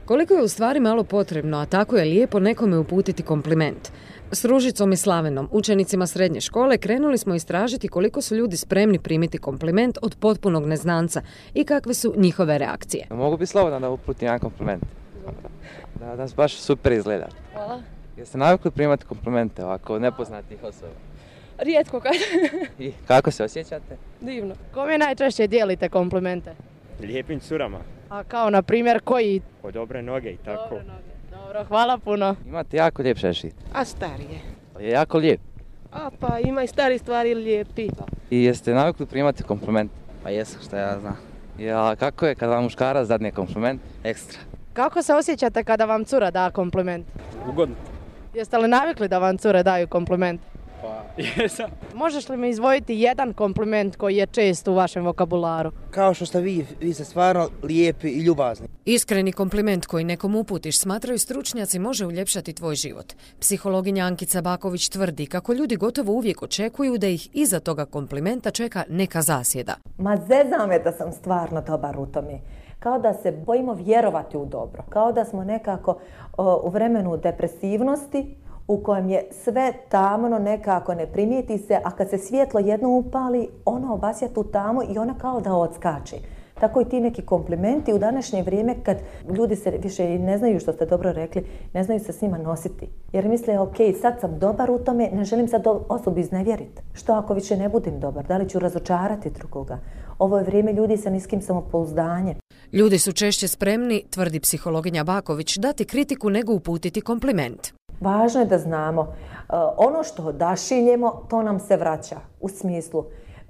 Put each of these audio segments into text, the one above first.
Koliko je u stvari malo potrebno, a tako je lijepo nekome uputiti kompliment. S Ružicom i Slavenom, učenicima srednje škole, krenuli smo istražiti koliko su ljudi spremni primiti kompliment od potpunog neznanca i kakve su njihove reakcije. Mogu bi slobodno da uputim jedan kompliment. Da nas baš super izgleda. Hvala. Jeste navikli primati komplimente ovako od nepoznatih osoba? Rijetko kad. I kako se osjećate? Divno. Kome najčešće dijelite komplimente? Lijepim curama. A kao na primjer koji? Od dobre noge i tako. Dobre noge. Dobro, hvala puno. Imate jako lijep šešir. A starije. Je jako lijep. A pa ima i stari stvari lijepi. I jeste navikli primati kompliment? Pa jesam, što ja znam. Ja, kako je kada vam muškarac dadne kompliment? Ekstra. Kako se osjećate kada vam cura da kompliment? Ugodno. Jeste li navikli da vam cure daju kompliment? Pa jesam. Možeš li mi izdvojiti jedan kompliment koji je čest u vašem vokabularu? Kao što ste vi ste stvarno lijepi i ljubazni. Iskreni kompliment koji nekom uputiš, smatraju stručnjaci, može uljepšati tvoj život. Psihologinja Ankica Baković tvrdi kako ljudi gotovo uvijek očekuju da ih iza toga komplimenta čeka neka zasjeda. Ma zezam me da sam stvarno dobar u tome. Kao da se bojimo vjerovati u dobro. Kao da smo nekako u vremenu depresivnosti u kojem je sve tamno, nekako ne primijeti se, a kad se svjetlo jedno upali, ono obasja tu tamu i ona kao da odskače. Tako i ti neki komplimenti u današnje vrijeme kad ljudi se više ne znaju, što ste dobro rekli, ne znaju se s njima nositi. Jer misle, ok, sad sam dobar u tome, ne želim sad osobu iznevjeriti. Što ako više ne budem dobar? Da li ću razočarati drugoga? Ovo je vrijeme ljudi sa niskim samopouzdanjem. Ljudi su češće spremni, tvrdi psihologinja Baković, dati kritiku nego uputiti kompliment. Važno je da znamo, ono što odašiljemo, to nam se vraća u smislu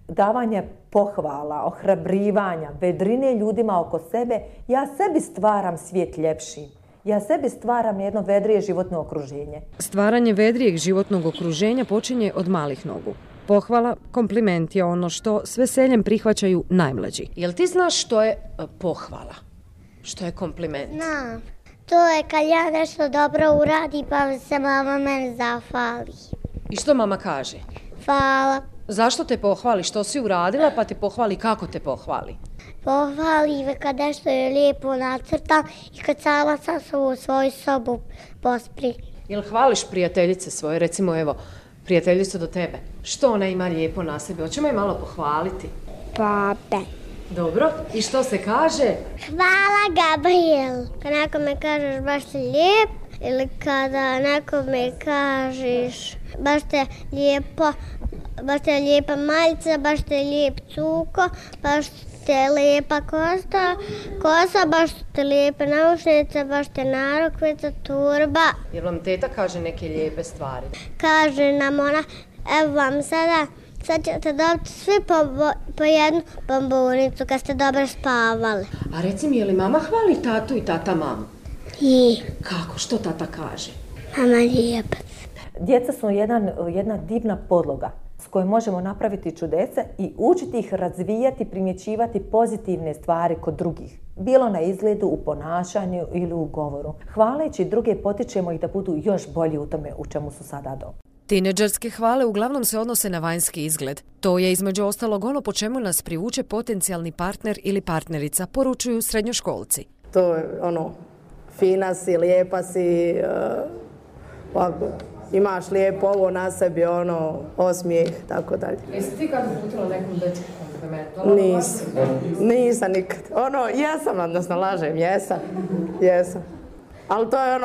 davanja pohvala, ohrabrivanja, vedrine ljudima oko sebe. Ja sebi stvaram svijet ljepšim. Ja sebi stvaram jedno vedrije životno okruženje. Stvaranje vedrijeg životnog okruženja počinje od malih nogu. Pohvala, kompliment je ono što s veseljem prihvaćaju najmlađi. Jel ti znaš što je pohvala? Što je kompliment? Znam. To je kad ja nešto dobro uradi pa se mama mene zahvali. I što mama kaže? Hvala. Zašto te pohvali? Što si uradila pa te pohvali? Kako te pohvali? Pohvali kad nešto je lijepo nacrtam i kad sama sam se u svoju sobu pospri. Jel hvališ prijateljice svoje? Recimo evo, prijateljicu do tebe. Što ona ima lijepo na sebi? Hoćemo je malo pohvaliti? Babe. Dobro. I što se kaže? Hvala, Gabriel. Kad nekome kažeš baš si lijep ili kada nekome kažeš baš te lijepo, baš te lijepa majica, baš te lijep cuko, baš te lijepa kosa, baš te lijepe naušnice, baš te narukvica, turba. Jel vam teta kaže neke lijepe stvari? Kaže nam ona, evo vam sada ćete dobiti svi po jednu bombonicu kad ste dobro spavali. A reci mi, je li mama hvali tatu i tata mamu? I. Kako? Što tata kaže? Mama lijepa. Djeca su jedna divna podloga s kojom možemo napraviti čudesa i učiti ih razvijati, primjećivati pozitivne stvari kod drugih. Bilo na izgledu, u ponašanju ili u govoru. Hvaleći druge potičemo ih da budu još bolji u tome u čemu su sada dobri. Tineđerske hvale uglavnom se odnose na vanjski izgled. To je između ostalog ono po čemu nas privuče potencijalni partner ili partnerica, poručuju srednjoškolci. To je fina si, lijepa si, imaš lijepo ovo na sebi, osmijeh, tako dalje. Jesi ti kad uputila nekom dečku kompliment? Nisam nikad. Jesam, odnosno lažem, jesam. Ali to je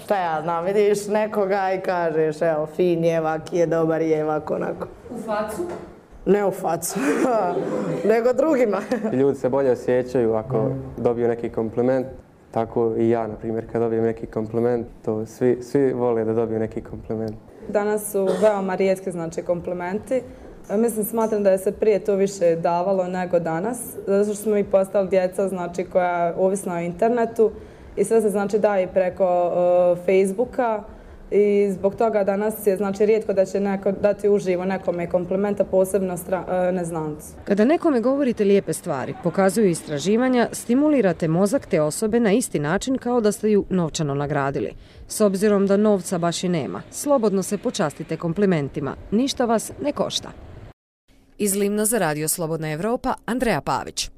šta ja znam, vidiš nekoga i kažeš, evo, fin je, vak je, dobar je, vak onako. U facu? Ne u facu, nego drugima. Ljudi se bolje osjećaju ako dobiju neki kompliment. Tako i ja, na primjer, kad dobijem neki kompliment, to svi vole da dobiju neki kompliment. Danas su veoma rijetki, komplimenti. Smatram da je se prije to više davalo nego danas, zato što smo mi postali djeca, koja je ovisna o internetu i sve se, daje preko Facebooka i zbog toga danas je, rijetko da će neko dati uživo nekome komplimenta, posebno neznancu. Kada nekome govorite lijepe stvari, pokazuju istraživanja, stimulirate mozak te osobe na isti način kao da ste ju novčano nagradili. S obzirom da novca baš i nema, slobodno se počastite komplimentima, ništa vas ne košta. Iz Livna za Radio Slobodna Evropa, Andreja Pavić.